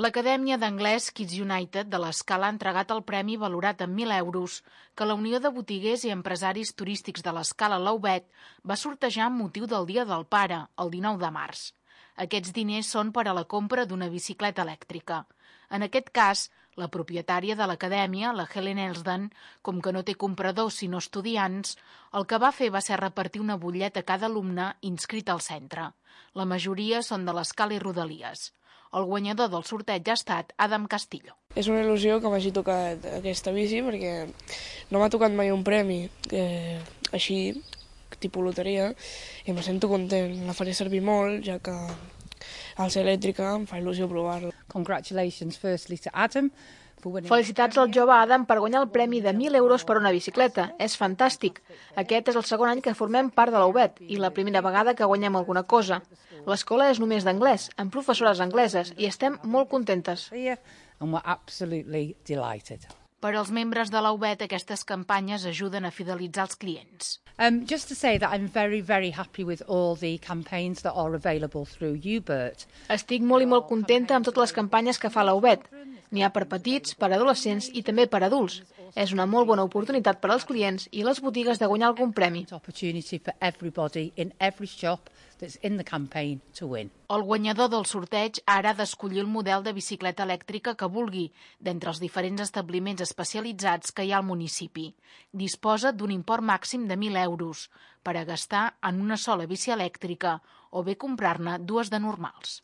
L'Acadèmia d'Anglès Kids United de l'Escala ha entregat el premi valorat en 1.000 euros que la Unió de Botiguers i Empresaris Turístics de l'Escala Laubet va sortejar amb motiu del Dia del Pare, el 19 de març. Aquests diners són per a la compra d'una bicicleta elèctrica. En aquest cas, la propietària de l'acadèmia, la Helen Elsden, com que no té compradors sinó estudiants, el que va fer va ser repartir una butlleta a cada alumne inscrit al centre. La majoria són de l'Escala i Rodalies. El guanyador del sorteig ha estat Adam Castillo. És una il·lusió que m'hagi tocat aquesta bici perquè no m'ha tocat mai un premi així, tipus loteria, i me sento content. La faré servir molt, ja que al ser elèctrica em fa il·lusió provar-la. Congratulations firstly to Adam. Felicitats al jove Adam per guanyar el premi de 1.000 euros per una bicicleta. És fantàstic. Aquest és el segon any que formem part de la UBET i la primera vegada que guanyem alguna cosa. L'escola és només d'anglès, amb professores angleses, i estem molt contentes. And we're absolutely delighted. Per als membres de la UBET, aquestes campanyes ajuden a fidelitzar els clients. Just to say that I'm very, very happy with all the campaigns that are available through UBERT. Estic molt i molt contenta amb totes les campanyes que fa la UBET. N'hi ha per petits, per adolescents i també per adults. És una molt bona oportunitat per als clients i les botigues de guanyar algun premi. Opportunity for everybody in every shop that's in the campaign to win. El guanyador del sorteig ara ha d'escollir el model de bicicleta elèctrica que vulgui d'entre els diferents establiments especialitzats que hi ha al municipi. Disposa d'un import màxim de 1.000 euros per a gastar en una sola bici elèctrica o bé comprar-ne dues de normals.